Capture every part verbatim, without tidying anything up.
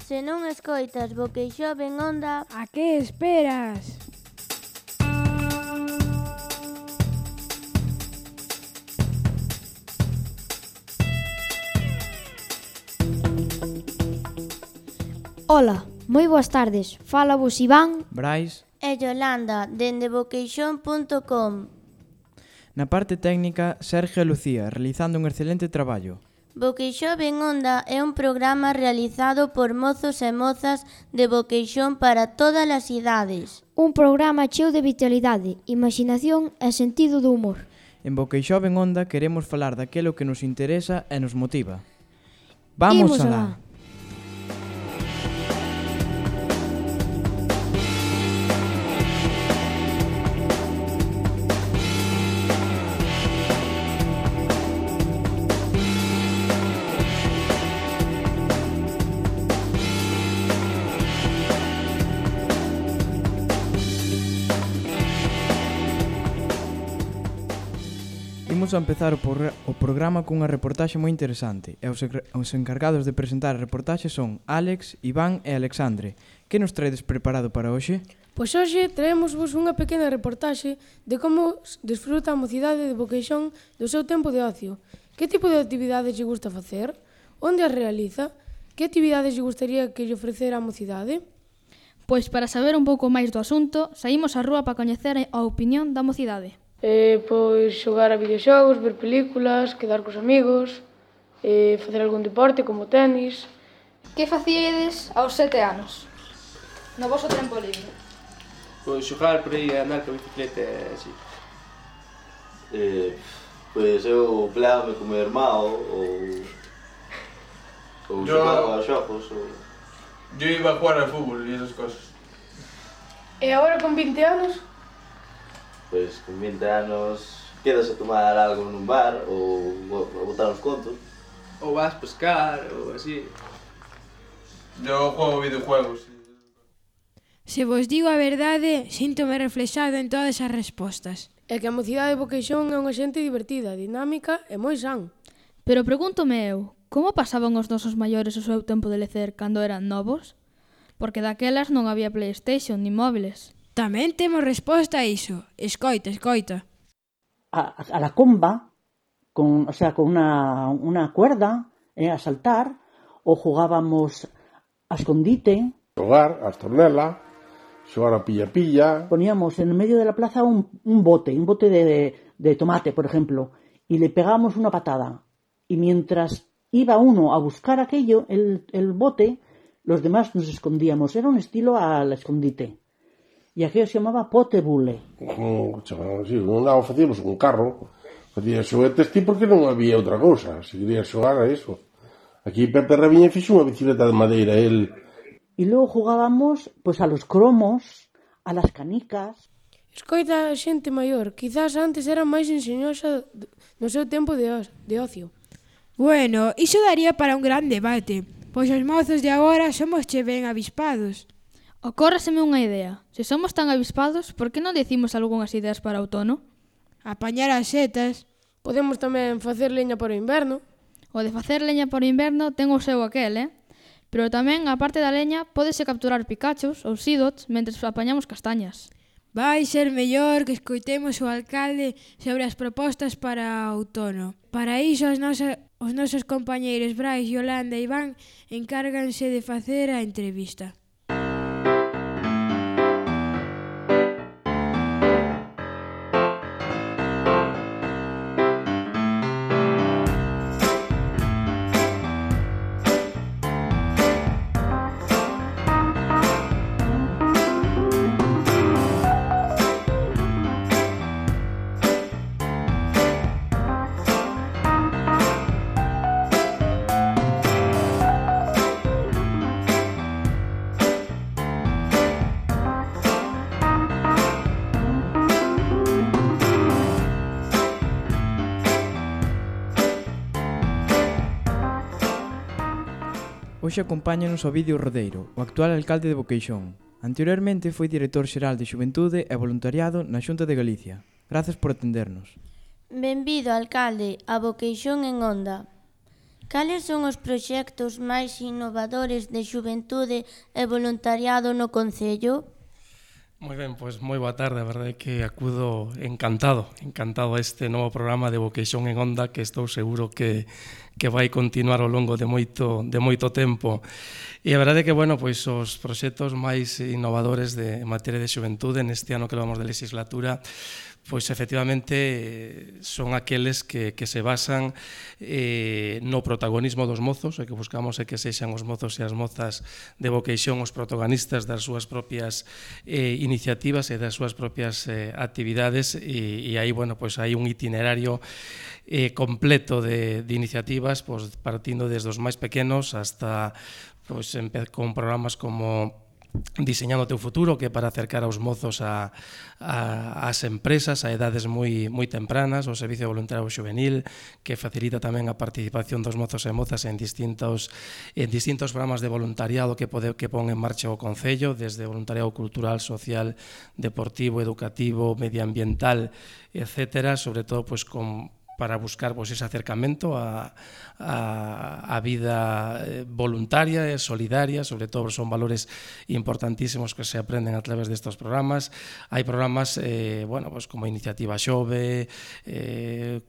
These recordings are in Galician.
Se non escoitas Boqueixón en Onda, a que esperas? Ola, moi boas tardes. Fala vos Iván, Brais. e Yolanda, dende boqueixón punto com. Na parte técnica, Sergio e Lucía, realizando un excelente traballo. Boqueixón en Onda é un programa realizado por mozos e mozas de Boqueixón para todas as idades. un programa cheo de vitalidade, imaginación e sentido do humor. En Boqueixón en Onda queremos falar daquelo que nos interesa e nos motiva. Vamos Imos alá! alá. Imos a empezar o, por, o programa cunha reportaxe moi interesante e os, os encargados de presentar a reportaxe son Álex, Iván e Alexandre. Que nos traedes preparado para hoxe? Pois hoxe traémosvos unha pequena reportaxe de como desfruta a mocidade de Boqueixón do seu tempo de ocio. Que tipo de actividades lle gusta facer? Onde as realiza? Que actividades lle gustaría que lle ofrecera a mocidade? Pois para saber un pouco máis do asunto, saímos á rúa para coñecer a opinión da mocidade. Eh, pois xogar a videoxogos, ver películas, quedar cos amigos, eh, facer algún deporte como tenis. Que facíades aos sete anos? No voso tempo libre? Pois xogar por aí, andar con bicicleta e así. Eh, pois eu peleábame co meu irmão ou ou Yo- xogaba aos xogos ou... Yo iba a jugar al fútbol e esas cosas. E agora con vinte anos? Pois con vinte anos quedas a tomar algo nun bar ou a botar uns contos. Ou vas pescar ou así. Yo juego videojuegos. Se vos digo a verdade, síntome reflexado en todas as respostas. É que a mocidade de Boqueixón é unha xente divertida, dinámica e moi san. Pero pregúntome eu, como pasaban os nosos maiores o seu tempo de lecer cando eran novos? Porque daquelas non había PlayStation ni móviles. Tamén temos resposta a iso. Escoita, escoita. a, a la comba, con, o sea, con una, una cuerda, eh, a saltar, o jugábamos a escondite, Xogar, a estornela, xogar a pilla-pilla. poníamos en medio de la plaza un, un bote, un bote de, de tomate, por ejemplo, y le pegábamos una patada. Y mientras iba uno a buscar aquello, el, el bote, los demás nos escondíamos. Era un estilo al escondite. E aquello se chamaba potebule. Mm, chaval, sí, non daba, facíamos un carro, facía xoguetes ti porque non había outra cousa, se quería xogar a eso. Aquí Pepe Rabiña fixo unha bicicleta de madeira, el... Y luego jugábamos pues a los cromos, a las canicas. Escoita a xente maior, quizás antes era máis enxeñosa no seu tempo de, o- de ocio. Bueno, iso daría para un gran debate, pois os mozos de agora somos che ben avispados. Ocórreseme unha idea. Se somos tan avispados, por que non decimos algunhas ideas para o outono? Apañar as setas. Podemos tamén facer leña para o inverno. O de facer leña por inverno ten o seu aquel, eh? Pero tamén, a parte da leña, pódese capturar picachos ou sidots mentres apañamos castañas. Vai ser mellor que escoitemos o alcalde sobre as propostas para o outono. Para iso os, nosa, os nosos compañeiros Brais, Yolanda e Iván encárganse de facer a entrevista. Hoxe acompáñanos o Ovidio Rodeiro, o actual alcalde de Boqueixón. Anteriormente foi director xeral de Xuventude e Voluntariado na Xunta de Galicia. Grazas por atendernos. Benvido, alcalde, a Boqueixón en Onda. Cales son os proxectos máis innovadores de xuventude e voluntariado no Concello? Moi ben, pois moi boa tarde, a verdade é que acudo encantado, encantado a este novo programa de Vocation en Onda que estou seguro que, que vai continuar ao longo de moito, de moito tempo. E a verdade é que, bueno, pois os proxectos máis innovadores de, en materia de xuventude neste ano que levamos de legislatura pois efectivamente son aqueles que, que se basan eh, no protagonismo dos mozos, e que buscamos é que sexan os mozos e as mozas de Vocation os protagonistas das súas propias eh, iniciativas e das súas propias eh, actividades, e, e aí, bueno, pois hai un itinerario eh, completo de, de iniciativas, pois partindo desde os máis pequenos hasta pois, con programas como Diseñando o teu futuro, que é para acercar aos mozos a, a, as empresas a edades moi, moi tempranas, o Servicio Voluntario Xuvenil, que facilita tamén a participación dos mozos e mozas en distintos, en distintos programas de voluntariado que, pode, que pon en marcha o Concello, desde voluntariado cultural, social, deportivo, educativo, medioambiental, etcétera, sobre todo pues, con para buscar pues, ese acercamento a, a, a vida voluntaria e solidaria, sobre todo son valores importantísimos que se aprenden a través de estos programas. Hai programas eh, bueno, pues, como Iniciativa Xove, eh,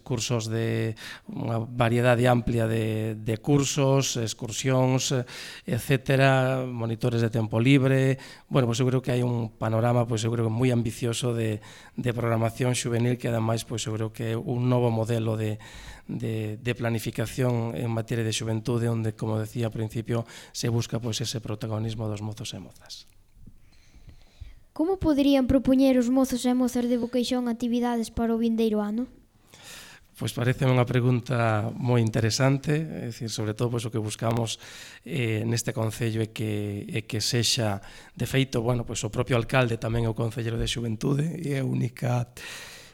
cursos de unha variedade amplia de, de cursos, excursións, etcétera, monitores de tempo libre. Bueno, pues, eu creo que hai un panorama pues, eu creo que moi ambicioso de, de programación xuvenil que ademais pues, eu creo que un novo modelo de, de, de planificación en materia de xuventude onde, como decía ao principio, se busca pois, ese protagonismo dos mozos e mozas. Como poderían propoñer os mozos e mozas de Vocation actividades para o vindeiro ano? Pois parece unha pregunta moi interesante, é dicir, sobre todo pois, o que buscamos eh, neste Concello é que, é que sexa, de feito, bueno, pois, o propio alcalde tamén é o Concellero de Xuventude e é a única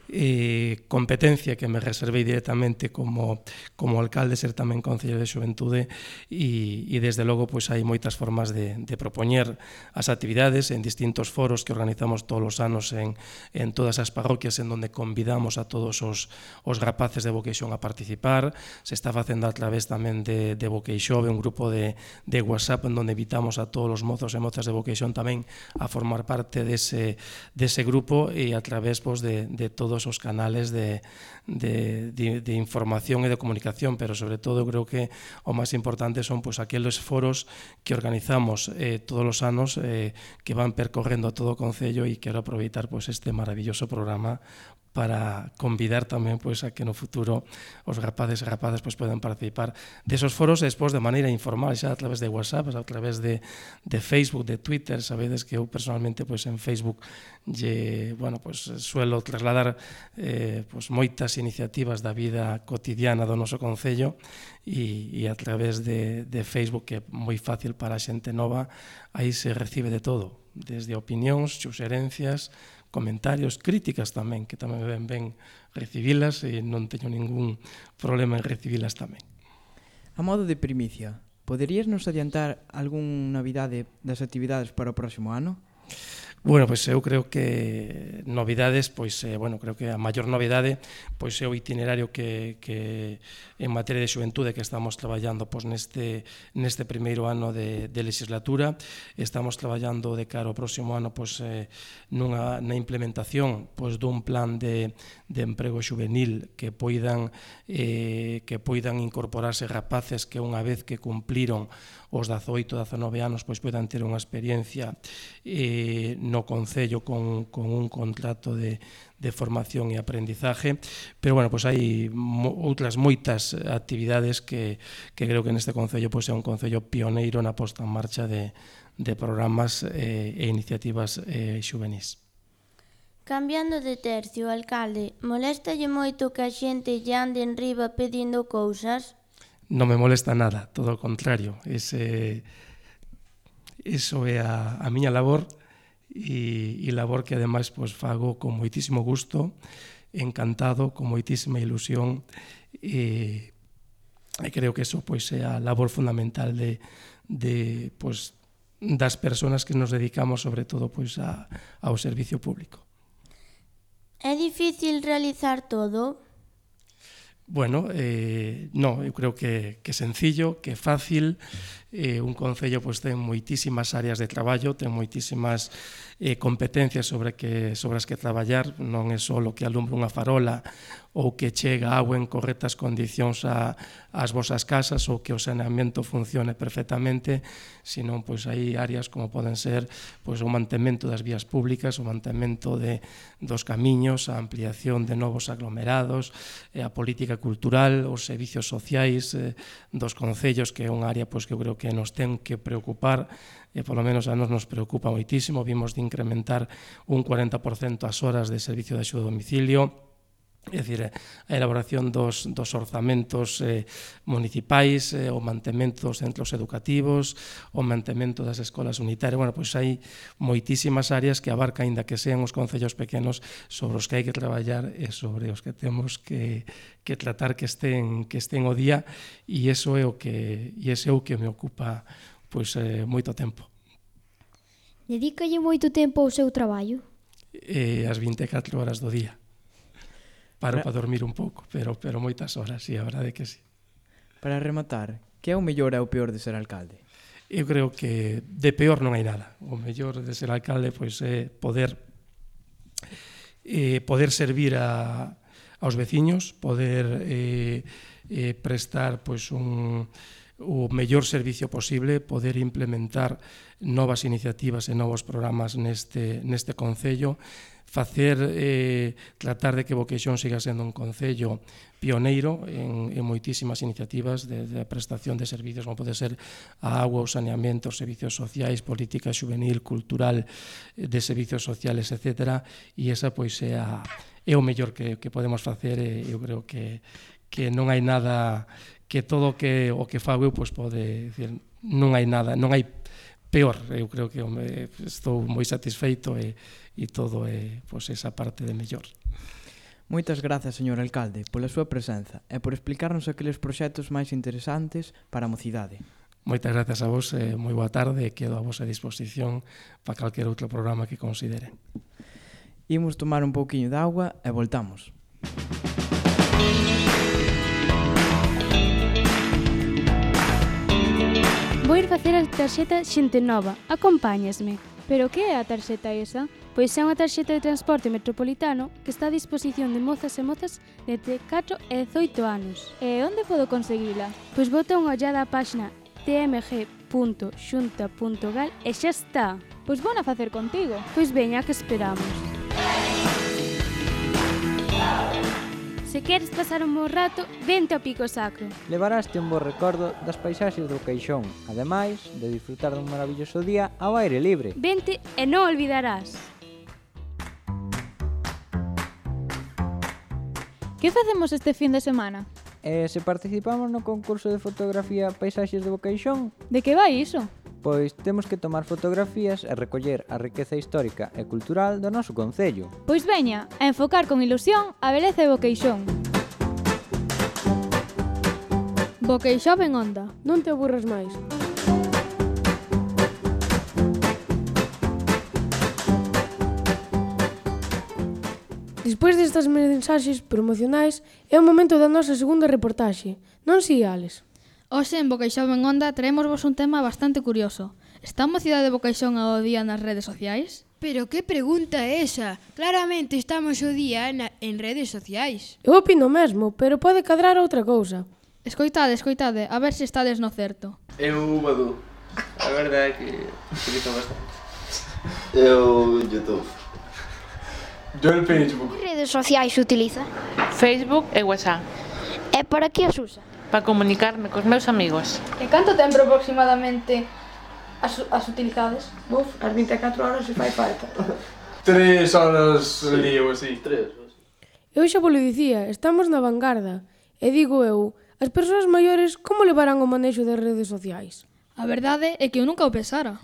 Eh, competencia que me reservei directamente como, como alcalde, ser tamén Concello de Xuventude, e, e desde logo pois, hai moitas formas de, de propoñer as actividades en distintos foros que organizamos todos os anos en, en todas as parroquias en donde convidamos a todos os, os rapaces de Vocation a participar. Se está facendo a través tamén de, de Vocation, un grupo de, de WhatsApp en donde invitamos a todos os mozos e mozas de Vocation tamén a formar parte dese, dese grupo, e a través pois, de, de todos os canales de, de, de, de información e de comunicación, pero sobre todo creo que o máis importante son pues, aqueles foros que organizamos eh, todos os anos eh, que van percorrendo a todo o Concello, e quero aproveitar pues, este maravilloso programa para convidar tamén pues, a que no futuro os rapaces e rapaces pues, poden participar desos foros, e despois de maneira informal, xa a través de WhatsApp, a través de, de Facebook, de Twitter. Sabedes que eu personalmente pues, en Facebook lle, bueno, pues, suelo trasladar eh, pues, moitas iniciativas da vida cotidiana do noso Concello, e, e a través de, de Facebook, que é moi fácil para a xente nova, aí se recibe de todo, desde opinións, suxerencias, comentarios, críticas tamén, que tamén ben ben recibilas, e non teño ningún problema en recibilas tamén. A modo de primicia, poderías nos adiantar algún novidade das actividades para o próximo ano? Bueno, pois eu creo que novidades, pois, eh, bueno, creo que a maior novidade pois é o itinerario que, que en materia de xuventude que estamos traballando pois, neste, neste primeiro ano de, de legislatura. Estamos traballando de cara ao próximo ano pois, eh, nunha, na implementación pois, dun plan de, de emprego xuvenil que poidan, eh, que poidan incorporarse rapaces que unha vez que cumpliron os dezaoito, dezanove anos pois poidan ter unha experiencia eh, no Concello con, con un contrato de, de formación e aprendizaje, pero bueno, pois hai mo, outras moitas actividades que, que creo que neste Concello pois é un Concello pioneiro na posta en marcha de, de programas eh, e iniciativas eh, xuvenis. Cambiando de tercio, alcalde, moléstalle moito que a xente lle ande en riba pedindo cousas? Non me molesta nada, todo o contrario. Ese, eso é a, a miña labor, e, e labor que ademais pues, fago con moitísimo gusto, encantado, con moitísima ilusión, e, e creo que eso pues, é a labor fundamental de, de, pues, das persoas que nos dedicamos sobre todo pues, a, ao servicio público. É difícil realizar todo? Bueno, eh, no, eu creo que, que sencillo, que fácil, eh, un concello pois, ten moitísimas áreas de traballo, ten moitísimas eh, competencias sobre, que, sobre as que traballar, non é só o que alumbra unha farola ou que chega agua en correctas condicións a, ás vosas casas ou que o saneamento funcione perfectamente, senón pois hai áreas como poden ser pois, o mantemento das vías públicas, o mantemento de, dos camiños, a ampliación de novos aglomerados, eh, a política cultural, os servicios sociais eh, dos concellos, que é unha área pois, que eu creo que nos ten que preocupar, e polo menos a nos nos preocupa moitísimo. Vimos de incrementar un cuarenta por cento as horas de servicio de axuda a domicilio, é dicir, a elaboración dos, dos orzamentos eh, municipais, eh, o mantemento dos centros educativos, o mantemento das escolas unitarias. Bueno, pois hai moitísimas áreas que abarca, aínda que sean os concellos pequenos, sobre os que hai que traballar e sobre os que temos que, que tratar que estén, que estén o día, e iso é o que, e ese é o que me ocupa pois, eh, moito tempo. Dedícalle moito tempo ao seu traballo? Eh, as vinte e catro horas do día. Paro para dormir un pouco, pero, pero moitas horas, sí, a verdade que sí. Para rematar, que é o mellor e o peor de ser alcalde? Eu creo que de peor non hai nada. O mellor de ser alcalde pois, é poder eh, poder servir a, aos veciños, poder eh, eh, prestar pois, un, o mellor servicio posible, poder implementar novas iniciativas e novos programas neste, neste concello, facer, eh, tratar de que Boqueixón siga sendo un concello pioneiro en, en moitísimas iniciativas de, de prestación de servicios, como pode ser a agua, o saneamento, os servicios sociais, política juvenil, cultural, de servicios sociales, etcétera, e esa pois é, a, é o mellor que, que podemos facer, e eu creo que, que non hai nada, que todo que, o que fago eu pois pode, decir, non hai nada, non hai peor, eu creo que me, estou moi satisfeito e, e todo é pois, esa parte de mellor. Moitas grazas, señor alcalde, pola súa presenza e por explicarnos aqueles proxectos máis interesantes para a mocidade. Moitas grazas a vos, e moi boa tarde, e quedo a vosa disposición para calquer outro programa que considere. Imos tomar un pouquiño de agua e voltamos. Vou ir facer a tarxeta Xente Nova. Acompáñasme. Pero que é a tarxeta esa? Pois é unha tarxeta de transporte metropolitano que está a disposición de mozas e mozas de entre catro e dezoito anos. E onde podo conseguila? Pois bota unha ollada á páxina t m g punto xunta punto gal e xa está. Pois vou a facer contigo. Pois veña, que esperamos. Se queres pasar un bo rato, vente ao Pico Sacro. Levaraste un bo recordo das paisaxes do Queixón, ademais de disfrutar dun maravilloso día ao aire libre. Vente e non olvidarás. Que facemos este fin de semana? E se participamos no concurso de fotografía Paisaxes do Queixón? De que vai iso? Pois temos que tomar fotografías e recoller a riqueza histórica e cultural do noso concello. Pois veña, a enfocar con ilusión a beleza de Boqueixón. Boqueixón en onda. Non te aburras máis. Despois destas mensaxes promocionais, é o momento da nosa segunda reportaxe. Non si, Alex? Hoxe en Boqueixón en onda traémosvos un tema bastante curioso. Está a mocidade de Boqueixón ao día nas redes sociais? Pero que pregunta é esa? Claramente estamos o día na, en redes sociais. Eu opino mesmo, pero pode cadrar outra cousa. Escoitade, escoitade, a ver se estades no certo. Eu, Badu, a verdade é que utilizo bastante. Eu, YouTube. Yo el Facebook. Que redes sociais utiliza? Facebook e WhatsApp. E para que as usa? Para comunicarme cos meus amigos. E canto tempo aproximadamente as, as utilizades? Buf, as vinte e catro horas se fai falta. Tres horas al día ou así. Tres. Eu xa vos lo dicía, estamos na vanguarda. E digo eu, as persoas maiores como levarán o manexo das redes sociais? A verdade é que eu nunca o pensara.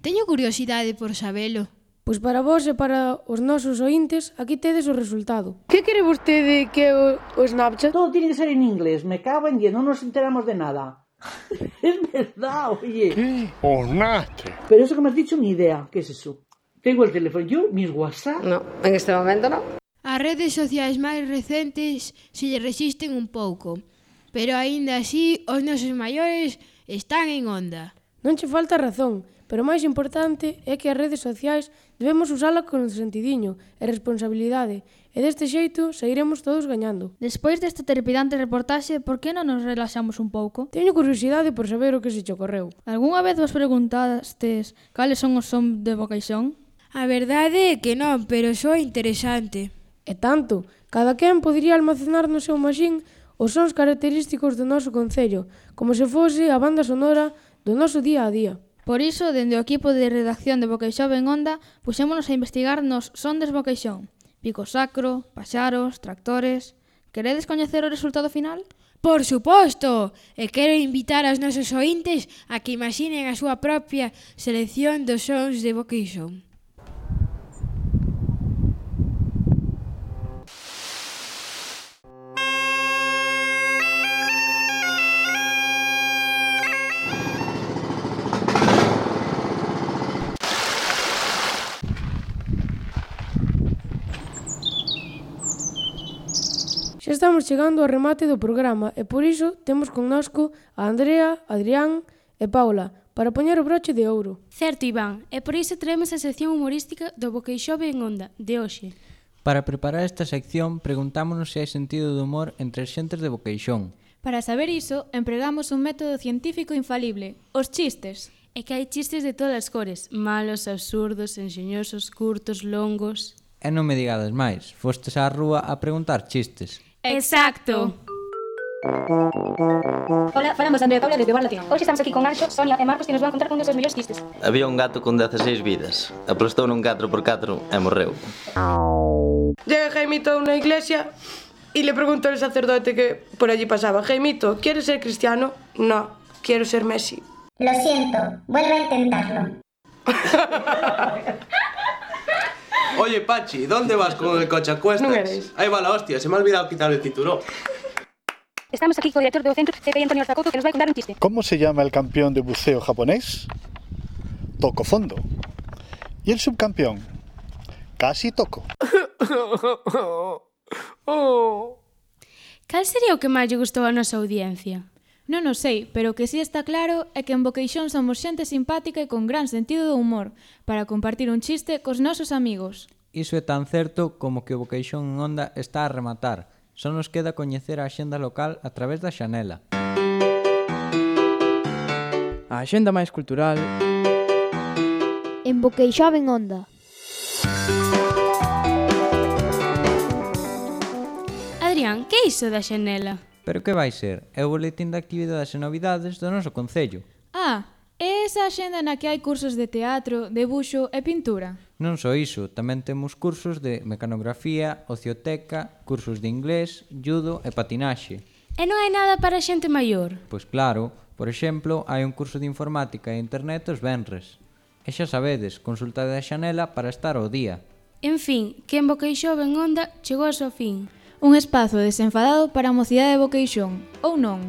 Teño curiosidade por sabelo. Pois para vos e para os nosos ointes, aquí tedes o resultado. Que quere vostede que o, o Snapchat? Todo tiene que ser en inglés, me cago en diez, no nos enteramos de nada. Es verdad, oye. ¿Qué? O Snapchat. Pero eso que me has dicho, ni idea. ¿Qué es eso? Tengo el teléfono, yo, mis WhatsApp. No, en este momento no. As redes sociais máis recentes se lle resisten un pouco, pero aínda así os nosos maiores están en onda. Non che falta razón, pero o máis importante é que as redes sociais debemos usala con sentidiño e responsabilidade, e deste xeito sairemos todos gañando. Despois desta trepidante reportaxe, por que non nos relaxamos un pouco? Teño curiosidade por saber o que se che ocorreu. Algúnha vez vos preguntastes cales son os son de Boqueixón? A verdade é que non, pero só interesante. E tanto, cada quen podería almacenar no seu machín os sons característicos do noso concello, como se fose a banda sonora do noso día a día. Por iso, dende o equipo de redacción de Boqueixón en Onda, puxémonos a investigar nos sondes Boqueixón. Pico sacro, paxaros, tractores... Queredes coñecer o resultado final? Por suposto! E quero invitar aos nosos ointes a que imaginen a súa propia selección dos sons de Boqueixón. Xa estamos chegando ao remate do programa e por iso temos connosco a Andrea, Adrián e Paula para poñer o broche de ouro. Certo, Iván, e por iso traemos a sección humorística do Boqueixón en Onda, de hoxe. Para preparar esta sección, preguntámonos se hai sentido do humor entre as xentes de Boqueixón. Para saber iso, empregamos un método científico infalible, os chistes. É que hai chistes de todas as cores, malos, absurdos, enxeñosos, curtos, longos... E non me digades máis, fostes á rúa a preguntar chistes. Exacto. Hola, falamos de Andrea Paula desde Bar Latino. Hoxe estamos aquí con Anxo, Sonia e Marcos que nos van contar un dos seus mellores chistes. Había un gato con dezaseis vidas. Aplastou nun catro por catro e morreu. Llega Jaimito a una iglesia y le pregunta al sacerdote que por allí pasaba: Jaimito, ¿quieres ser cristiano? No, quiero ser Messi. Lo siento, vuelve a intentarlo. Oye, Pachi, ¿dónde vas con el coche a cuestas? No eres. Ahí va la hostia, se me ha olvidado quitar el cinturón. Estamos aquí con el director del centro, C P I Antonio Orzacoco, que nos va a contar un chiste. ¿Cómo se llama el campeón de buceo japonés? Toco fondo. ¿Y el subcampeón? Casi toco. Cal sería o que máis lle gustou a nosa audiencia? Non o sei, pero o que si está claro é que en Boqueixón somos xente simpática e con gran sentido do humor para compartir un chiste cos nosos amigos. Iso é tan certo como que o Boqueixón en Onda está a rematar. Só nos queda coñecer a axenda local a través da xanela. A axenda máis cultural en Boqueixón en Onda. Adrián, que é iso da xanela? Pero que vai ser? É o boletín de actividades e novidades do noso concello. Ah, é esa axenda na que hai cursos de teatro, debuxo e pintura. Non só iso, tamén temos cursos de mecanografía, ocioteca, cursos de inglés, judo e patinaxe. E non hai nada para xente maior? Pois claro, por exemplo, hai un curso de informática e internet os venres. E xa sabedes, consultade a xanela para estar ao día. En fin, que en Boqueixón en Onda chegou ao seu fin. Un espazo desenfadado para a mocidade de Boqueixón, ou non?